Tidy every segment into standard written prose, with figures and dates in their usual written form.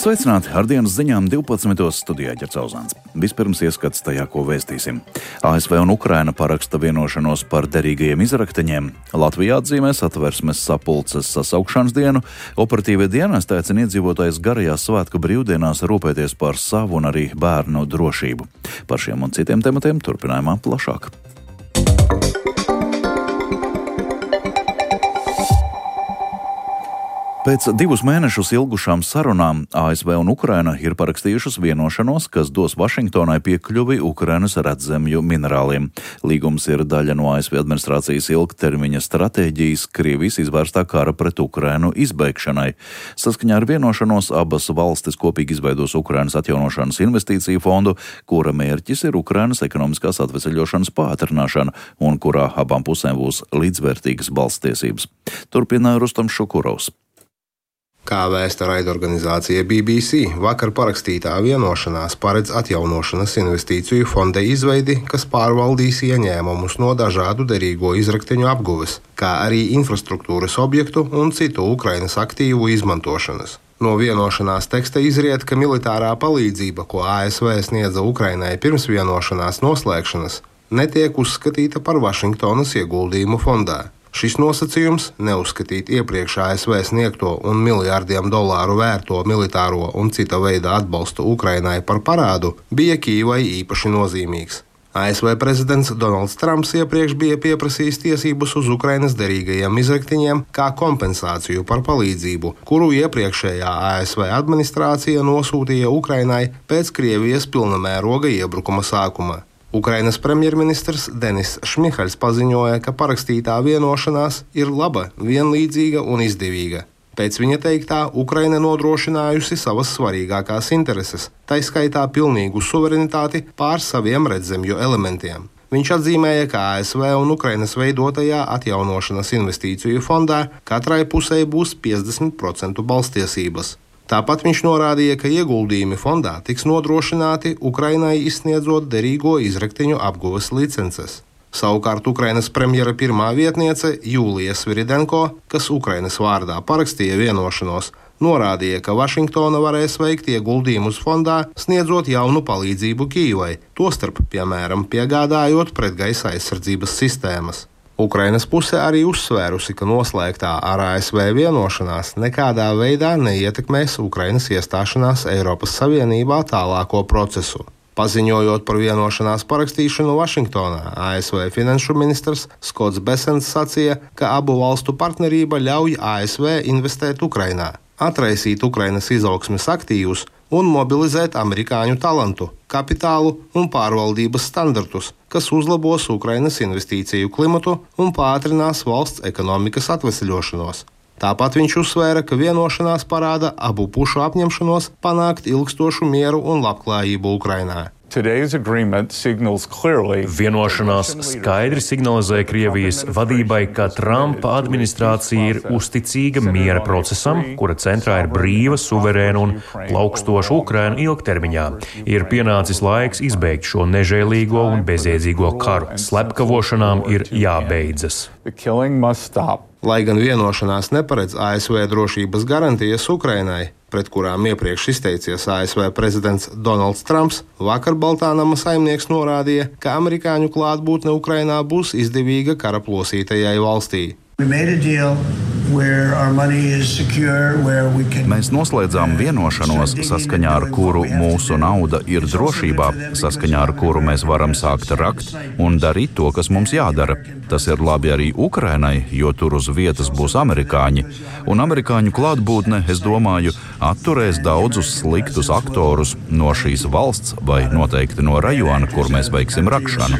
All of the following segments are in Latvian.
Sveicināti! Ar dienas ziņām 12. studijā Ģercauzāns. Vispirms ieskats tajā, ko vēstīsim. ASV un Ukraina paraksta vienošanos par derīgajiem izrakteņiem. Latvijā atzīmē Satversmes sapulces sasaukšanas dienu. Operatīvie dienesti aicina iedzīvotājus garajās svētku brīvdienās rūpēties par savu un arī bērnu drošību. Par šiem un citiem tematiem turpinājumā plašāk. Pēc 2 mēnešus ilgušām sarunām ASV un Ukraina ir parakstījušas vienošanos, kas dos Vašingtonai piekļuvi Ukrainas redzemju minerāliem. Līgums ir daļa no ASV administrācijas ilgtermiņa stratēģijas Krievijas izvērstā kara pret Ukrainu izbeigšanai. Saskaņā ar vienošanos abas valstis kopīgi izveidos Ukrainas atjaunošanas investīciju fondu, kura mērķis ir Ukrainas ekonomiskās atveseļošanas pātrināšana un kurā abām pusēm būs līdzvērtīgas balsstiesības. Turpina Rustams Šukurovs. Kā vēsta raidorganizācija BBC, vakar parakstītā vienošanās paredz atjaunošanas investīciju fonda izveidi, kas pārvaldīs ieņēmumus no dažādu derīgo izrakteņu apguves, kā arī infrastruktūras objektu un citu Ukrainas aktīvu izmantošanas. No vienošanās teksta izriet, ka militārā palīdzība, ko ASV sniedza Ukrainai pirms vienošanās noslēgšanas, netiek uzskatīta par Vašingtonas ieguldījumu fondā. Šis nosacījums neuzskatīt iepriekš ASV sniegto un miljārdiem dolāru vērto militāro un cita veida atbalstu Ukrainai par parādu bija Kīvai īpaši nozīmīgs. ASV prezidents Donalds Trumps iepriekš bija pieprasījis tiesības uz Ukrainas derīgajiem izrakteņiem kā kompensāciju par palīdzību, kuru iepriekšējā ASV administrācija nosūtīja Ukrainai pēc Krievijas pilnamēroga iebrukuma sākuma. Ukrainas premjerministrs Denis Šmihaļs paziņoja, ka parakstītā vienošanās ir laba, vienlīdzīga un izdevīga. Pēc viņa teiktā, Ukraina nodrošinājusi savas svarīgākās intereses, tai skaitā pilnīgu suverenitāti pār saviem redzemju elementiem. Viņš atzīmēja, ka ASV un Ukrainas veidotajā atjaunošanas investīciju fondā katrai pusē būs 50% balsstiesības. Tāpat viņš norādīja, ka ieguldījumi fondā tiks nodrošināti Ukrainai izsniedzot derīgo izrakteņu apguves licences. Savukārt Ukrainas premjera pirmā vietniece Jūlija Sviridenko, kas Ukrainas vārdā parakstīja vienošanos, norādīja, ka Vašingtona varēs veikt ieguldījumus fondā, sniedzot jaunu palīdzību Kīvai, tostarp, piemēram, piegādājot pretgaisa aizsardzības sistēmas. Ukrainas puse arī uzsvērusi, ka noslēgtā ar ASV vienošanās nekādā veidā neietekmēs Ukrainas iestāšanās Eiropas Savienībā tālāko procesu. Paziņojot par vienošanās parakstīšanu Vašingtonā, ASV finanšu ministrs Skots Besents sacīja, ka abu valstu partnerība ļauj ASV investēt Ukrainā, atraisīt Ukrainas izaugsmes aktīvus un mobilizēt amerikāņu talantu, kapitālu un pārvaldības standartus, kas uzlabos Ukrainas investīciju klimatu un pātrinās valsts ekonomikas atveseļošanos. Tāpat viņš uzsvēra, ka vienošanās parāda abu pušu apņemšanos panākt ilgstošu mieru un labklājību Ukrainā. Vienošanās skaidri signalizē Krievijas vadībai, ka Trumpa administrācija ir uzticīga miera procesam, kura centrā ir brīva, suverēna un plaukstoša Ukraina ilgtermiņā. Ir pienācis laiks izbeigt šo nežēlīgo un bezjēdzīgo karu. Slepkavošanām ir jābeidzas. Lai gan vienošanās neparedz ASV drošības garantijas Ukrainai, pret kurām iepriekš izteicies ASV prezidents Donalds Trumps, vakar Baltānama saimnieks norādīja, ka amerikāņu klātbūtne Ukrainā būs izdevīga kara plosītajai valstī. Mēs noslēdzām vienošanos, saskaņā ar kuru mūsu nauda ir drošībā, saskaņā ar kuru mēs varam sākt rakt un darīt to, kas mums jādara. Tas ir labi arī Ukrainai, jo tur uz vietas būs amerikāņi. Un amerikāņu klātbūtne, es domāju, atturēs daudzus sliktus aktorus no šīs valsts vai noteikti no rajona, kur mēs veiksim rakšanu.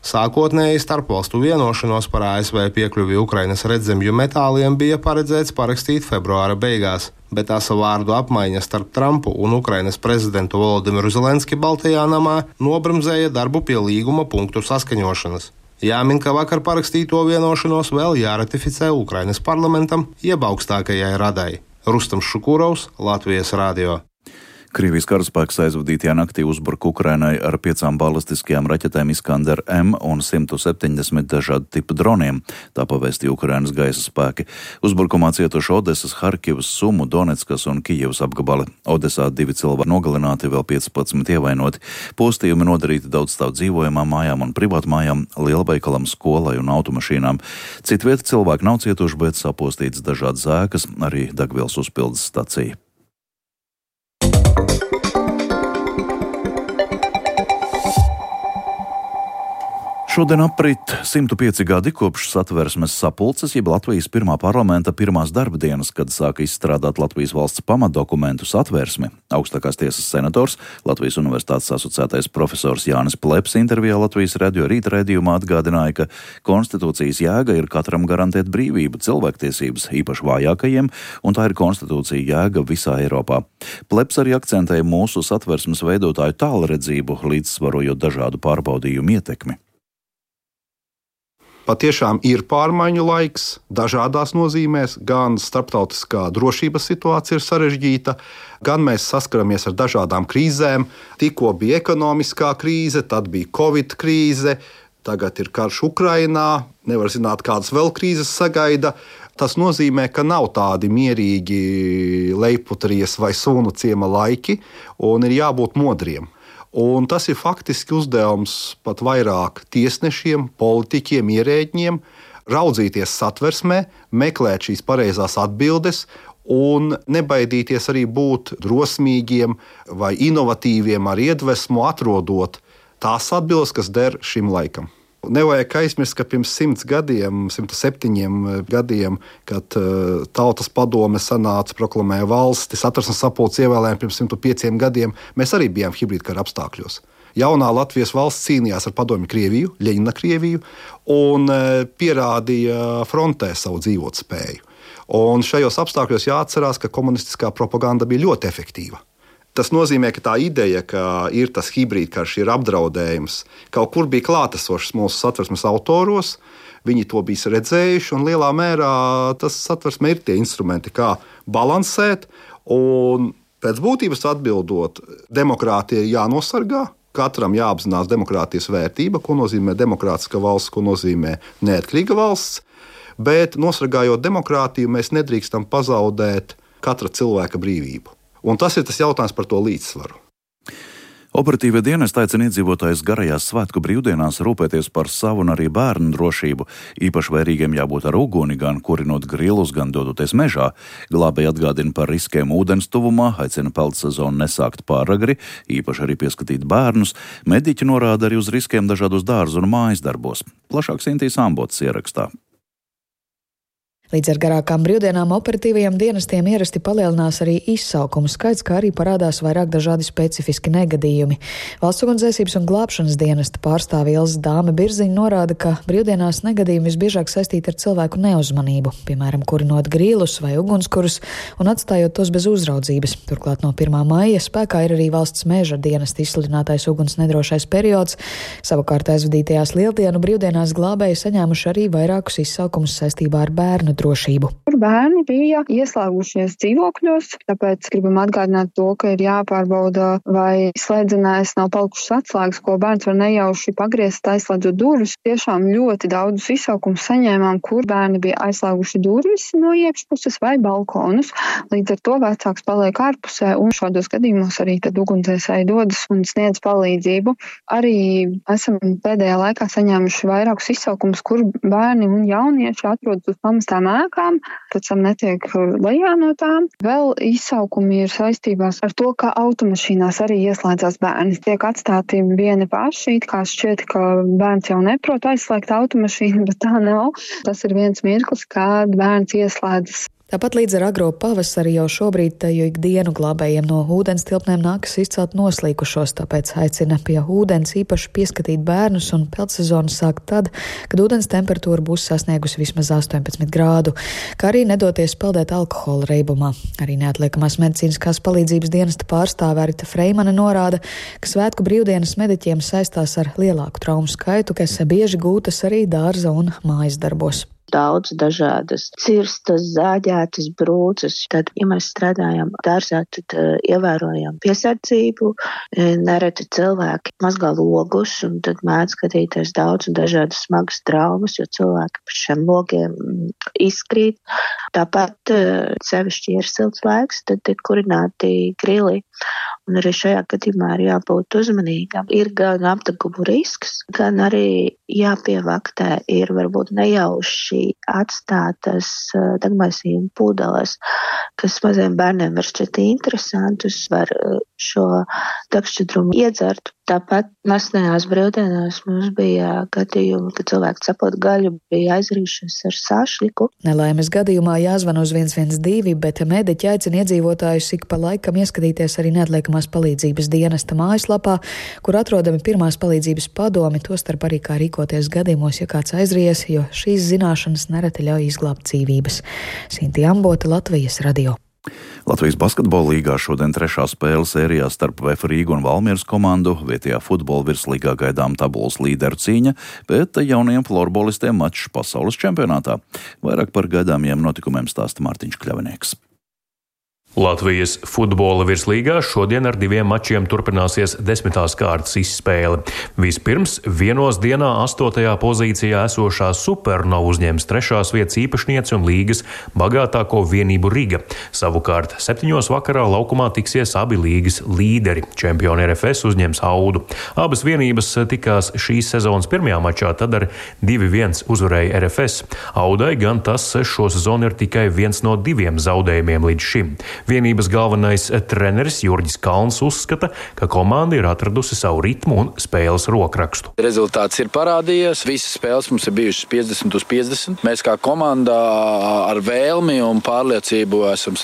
Sākotnēji starpvalstu vienošanos par ASV piekļuvi Ukrainas redzemju metāliem bija paredzēts parakstīt februāra beigās, bet asa vārdu apmaiņa starp Trumpu un Ukrainas prezidentu Volodimiru Zelenski Baltajā namā nobremzēja darbu pie līguma punktu saskaņošanas. Jāmin, ka vakar parakstīto vienošanos vēl jāratificē Ukrainas parlamentam, jeb augstākajai radai. Rustams Šukurovs, Latvijas radio. Krievijas karaspēks aizvadītajā naktī uzbruka Ukrainai ar 5 balistiskajām raķetēm Iskander-M un 170 dažādu tipu droniem, tā pavēstīja Ukrainas gaisa spēki. Uzbrukumā cietuši Odesas, Harkivas, Sumu, Donetskas un Kijevas apgabali. Odesā 2 cilvēki nogalināti, vēl 15 ievainoti. Postījumi nodarīti daudzstāvu dzīvojamām mājām un privātmājām, lielveikalam, skolai un automašīnām. Citvieta cilvēki nav cietuši, bet sapostīts dažādas ēkas, arī degvielas uzpildes stacija. Šodien aprit 105 gadi kopš Satversmes sapulces, jeb Latvijas pirmā parlamenta pirmās darba dienas, kad sāka izstrādāt Latvijas valsts pamatdokumentu Satversmi. Augstākās tiesas senators, Latvijas Universitātes asociētais profesors Jānis Pleps intervijā Latvijas radio rīta raidījumā atgādināja, ka konstitūcijas jēga ir katram garantēt brīvību, cilvēktiesības, īpaši vājākajiem, un tā ir konstitūcija jēga visā Eiropā. Pleps arī akcentēja mūsu Satversmes veidotāju tālredzību, līdzsvarojot dažādu pārbaudījumu ietekmi. Patiešām ir pārmaiņu laiks, dažādās nozīmēs, gan starptautiskā drošības situācija ir sarežģīta, gan mēs saskaramies ar dažādām krīzēm. Tikko bija ekonomiskā krīze, tad bija Covid krīze, tagad ir karš Ukrainā, nevar zināt, kādas vēl krīzes sagaida. Tas nozīmē, ka nav tādi mierīgi lejputries vai sunu ciema laiki, un ir jābūt modriem. Un tas ir faktiski uzdevums pat vairāk tiesnešiem, politiķiem, ierēģiem raudzīties Satversmē, meklēt šīs pareizās atbildes un nebaidīties arī būt drosmīgiem vai inovatīviem ar iedvesmu, atrodot tās atbildes, kas der šim laikam. Nevajag aizmirst, ka pirms 100 gadiem, 107 gadiem, kad Tautas padome sanāca, proklamēja valsti, Satversmes sapulces ievēlējumi pirms 105 gadiem, mēs arī bijām hibrīdkara apstākļos. Jaunā Latvijas valsts cīnījās ar padomju Krieviju, Ļeņina Krieviju, un pierādīja frontē savu dzīvotspēju. Un šajos apstākļos jāatcerās, ka komunistiskā propaganda bija ļoti efektīva. Tas nozīmē, ka tā ideja, ka ir tas hibrīdkarš, ir apdraudējums, kaut kur bija klātesošs mūsu Satversmes autoros, viņi to bija redzējuši, un lielā mērā tas Satversmē ir tie instrumenti, kā balansēt, un pēc būtības atbildot, demokrātija ir jānosargā, katram jāapzinās demokrātijas vērtība, ko nozīmē demokrātiska valsts, ko nozīmē neatkarīga valsts, bet nosargājot demokrātiju, mēs nedrīkstam pazaudēt katra cilvēka brīvību. Un tas ir tas jautājums par to līdzsvaru. Operatīvie dienesti aicina iedzīvotājus garajās svētku brīvdienās rūpēties par savu un arī bērnu drošību. Īpaši vērīgiem jābūt ar uguni, gan kurinot grilus, gan dodoties mežā. Glābēji atgādina par riskiem ūdens tuvumā, aicina peldsezonu nesākt pāragri, īpaši arī pieskatīt bērnus. Mediķi norāda arī uz riskiem dažādos dārzu un mājas darbos. Plašāk Sintīs Ambots ierakstā. Līdz ar garākām brīvdienām operatīvajiem dienestiem ierasti palielinās arī izsaukumu skaits, kā arī parādās vairāk dažādi specifiski negadījumi. Valsts ugunsdzēsības un glābšanas dienesta pārstāve Ilze Dāme Birziņa norāda, ka brīvdienās negadījumi visbiežāk saistīti ar cilvēku neuzmanību, piemēram, kurinot grīlus vai ugunskurus un atstājot tos bez uzraudzības. Turklāt no 1. maija spēkā ir arī valsts meža dienesta izsludinātais uguns nedrošais periods. Savukārt aizvadītajās lieldienu brīvdienās glābēji saņēmuši arī vairākus izsaukumus saistībā ar bērnu drošību. Bērni bija ieslēgušies dzīvokļos, tāpēc gribam atgādināt to, ka ir jāpārbauda, vai slēdzenēs nav palikušas atslēgas, ko bērns var nejauši pagriezt, aizslēdzot durvis. Tiešām ļoti daudzus izsaukumus saņēmām, kur bērni bija aizslēguši durvis no iekšpuses vai balkonus. Līdz ar to vecāks paliek ārpusē, un šādos gadījumos arī tad ugunsdzēsēji dodas un sniedz palīdzību. Arī esam pēdējā laikā saņēmuši vairākus izsaukumus, kur bērni un jaunieši atrodas uz pamestām ēkām, pēc tam netiek lejā no tām. Vēl izsaukumi ir saistībās ar to, ka automašīnās arī ieslēdzās bērni. Tiek atstāti vieni paši, kā šķiet, ka bērns jau neprot aizslēgt automašīnu, bet tā nav. Tas ir viens mirklis, kad bērns ieslēdzas. Tāpat līdz ar agro pavasari jau šobrīd teju ikdienu glābējiem no ūdens tilpnēm nākas izcelt noslīkušos, tāpēc aicina pie ūdens īpaši pieskatīt bērnus un peldsezonu sākt tad, kad ūdens temperatūra būs sasniegusi vismaz 18 grādu, kā arī nedoties peldēt alkohola reibumā. Arī neatliekamās medicīniskās palīdzības dienesta pārstāve Rita Freimane norāda, ka svētku brīvdienas mediķiem saistās ar lielāku traumu skaitu, kas bieži gūtas arī dārza un mājas darbos. daudz dažādas cirstas, zāģētas, brūces. Tad, ja mēs strādājam dārzā, tad ievērojam piesardzību. Nereti cilvēki mazgā logus, un tad mēdz skatīties daudz un dažādas smagas traumas, jo cilvēki par šiem logiem izkrīt. Tāpat sevišķi ir silts laiks, tad tiek kurināti grili. Un arī šajā gadījumā ir jābūt uzmanīgam. Ir gan apdegumu risks, gan arī jāpievaktē ir varbūt nejauši atstātas degmaisījuma pudeles, kas maziem bērniem var šķiet interesantus, var šo degšķidrumu iedzert. Tāpat nesenajās brīvdienās mums bija gadījumi, kad cilvēki cepot gaļu bija aizrījušies ar sašļiku. Nelaimes gadījumā jāzvan uz 112, bet mediķi aicina iedzīvotājus ik pa laikam ieskatīties arī neatliekamās palīdzības dienesta mājaslapā, kur atrodami pirmās palīdzības padomi, tostarp arī kā rīkoties gadījumos, ja kāds aizries, jo šīs zināšanas nereti ļauj izglābt dzīvības. Sintija Ambota, Latvijas radio. Latvijas basketbola līgā šodien 3. spēle sērijā starp VF Rīgu un Valmieras komandu. Vietējā futbola virslīgā gaidām tabulas līderu cīņa, bet jaunajiem florbolistiem mačs pasaules čempionātā. Vairāk par gaidāmiem notikumiem stāsta Mārtiņš Kļavinieks. Latvijas futbola virslīgā šodien ar 2 mačiem turpināsies 10. kārtas izspēle. Vispirms vienos dienā 8. pozīcijā esošā Supernova uzņems 3. vietas īpašnieci un līgas bagātāko vienību Riga. Savukārt 7. vakarā laukumā tiksies abi līgas līderi. Čempioni RFS uzņems Audu. Abas vienības tikās šīs sezonas pirmajā mačā, tad ar 2-1 uzvarēja RFS. Audai gan tas šo sezonu ir tikai viens no 2 zaudējumiem līdz šim. Vienības galvenais treneris Jurģis Kalns uzskata, ka komanda ir atradusi savu ritmu un spēles rokrakstu. Rezultāts ir parādījies. Visas spēles mums ir bijušas 50/50. Mēs kā komanda ar vēlmi un pārliecību esam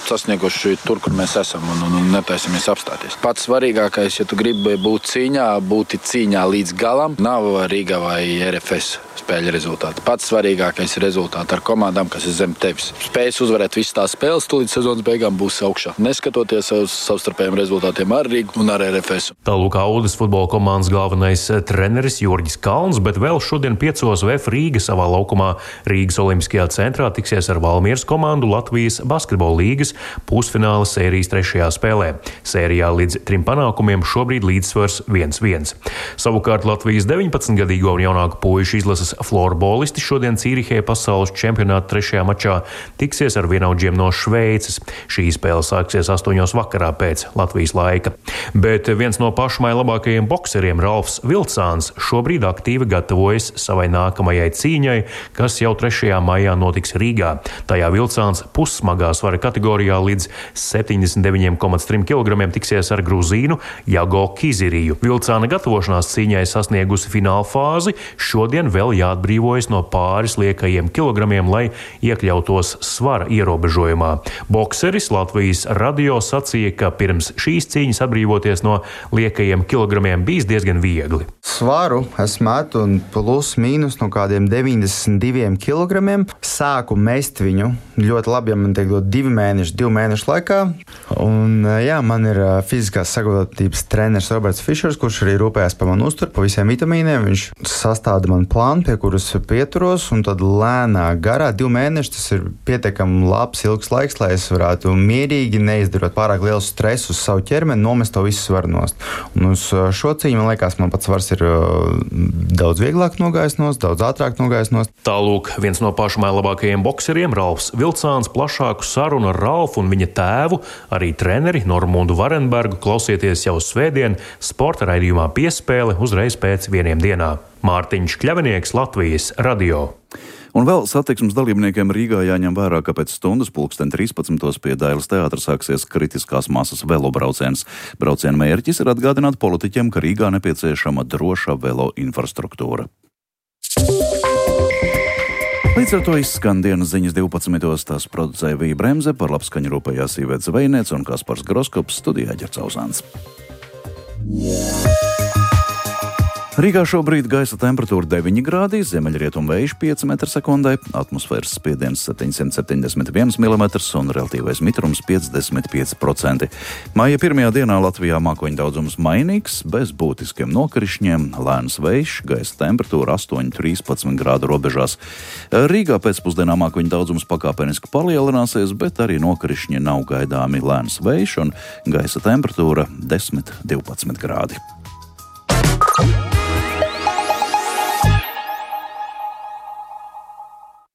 sasnieguši tur, kur mēs esam un netaisamies apstāties. Pats svarīgākais, ja tu gribi būt cīņā, būt cīņā līdz galam, nav Rīga vai RFS spēļu rezultāti. Pats svarīgākais ir rezultāti ar komandām, kas ir zem tevis. Spējas uzvarēt visas tās spēles, tu līdz sezonas beigām būs augšā. Neskatoties uz savstarpējiem rezultātiem ar Rīgu un ar RFS. Tālūk Audas futbola komandas galvenais treneris Jurģis Kalns, bet vēl šodien 5. VF Rīga savā laukumā Rīgas Olimpiskajā centrā tiksies ar Valmieras komandu Latvijas basketbola līgas pusfināla sērijas 3. spēlē. Sērijā līdz 3 panākumiem šobrīd līdzsvars 1-1. Savukārt Latvijas 19-gadīgo un jaunāku puišu izlases florbolisti šodien Cīrihē pasaules čempionāta 3. mačā tiksies ar vienaudžiem no Šveices. Šī spēle sāksies 8. vakarā pēc Latvijas laika. Bet viens no pašmai labākajiem bokseriem, Ralfs Vilcāns, šobrīd aktīvi gatavojas savai nākamajai cīņai, kas jau 3. maijā notiks Rīgā. Tajā Vilcāns pussmagā svara kategorijā līdz 79,3 kg tiksies ar Gruzīnu Jago Kiziriju. Vilcāna gatavošanās cīņai sasniegusi fināla fāzi, šodien vēl jāatbrīvojas no pāris liekajiem kilogramiem, lai iekļautos svara ierobežojumā. Bokseris Latvijas radio sacīja, ka pirms šīs cīņas atbrīvoties no liekajiem kilogramiem bijis diezgan viegli. Svaru es metu un plus mīnus no kādiem 92 kilogramiem. Sāku mest viņu ļoti labi, ja man tiek dot 2 mēnešu laikā. Un jā, man ir fiziskās sagatavotības treneris Roberts Fišers, kurš arī rūpējās par manu uzturu, par visiem vitamīniem. Viņš sastāda man plānu, pie kuras pieturos, un tad lēnā garā 2 mēneši, tas ir pietiekami labs, ilgs laiks, lai es varētu mierīgi, neizdarot pārāk lielu stresu uz savu ķermeni, nomest to visu svaru nost. Un uz šo cīņu, man liekas, man pats svars ir daudz vieglāk nogājis nost, daudz ātrāk nogājis nost. Tālūk, viens no pašmai labākajiem bokseriem, Ralfs Vilcāns, plašāku sarunu ar Ralfu un viņa tēvu, arī treneri Normundu Varenbergu, klausieties jau svētdien sporta raidījumā Piespēle uzreiz pēc 1 dienā. Mārtiņš Kļavinieks, Latvijas radio. Un vēl satiksmes dalībniekiem Rīgā jāņem vērā, ka pēc stundas 13:00 pie Dailes teātra sāksies kritiskās masas velobrauciens. Brauciena mērķis ir atgādināt politiķiem, ka Rīgā nepieciešama droša velo infrastruktūra. Līdz ar to izskan dienas ziņas 12. Tās producēja Vija Bremze, par labskaņu rūpējās Iveta Zvejniece un Kaspars Groskops, studijā Ģercauzāns. Rīgā šobrīd gaisa temperatūra 9 grādi, ziemeļrietumu vējš 5 m/sekundē, atmosfēras spiediens 771 mm un relatīvais mitrums 55%. Maija pirmajā dienā Latvijā mākoņu daudzums mainīgs, bez būtiskiem nokrišņiem, lēns vējš, gaisa temperatūra 8–13 grādu robežās. Rīgā pēcpusdienā mākoņu daudzums pakāpeniski palielināsies, bet arī nokrišņi nav gaidāmi, lēns vējš un gaisa temperatūra 10–12 grādi.